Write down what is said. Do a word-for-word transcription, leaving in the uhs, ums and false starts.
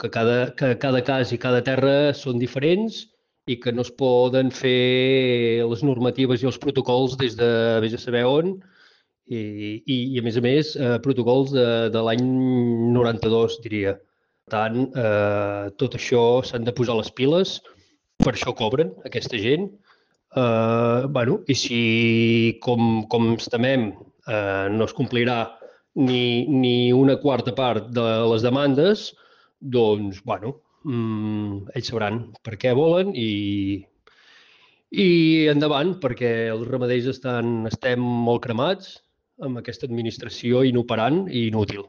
que cada, que cada cas i cada terra són diferents i que no es poden fer les normatives i els protocols des de vés a saber on i, i, i a més a més, eh, protocols de, de l'any noranta-dos, diria. Per tant, eh, tot això s'han de posar les piles, per això cobren aquesta gent. Eh, bueno, i si, com, com ens temem, eh, no es complirà ni, ni una quarta part de les demandes, doncs, bueno, mm, ells sabran per què volen i, i endavant, perquè els ramaders estan, estem molt cremats amb aquesta administració inoperant i inútil.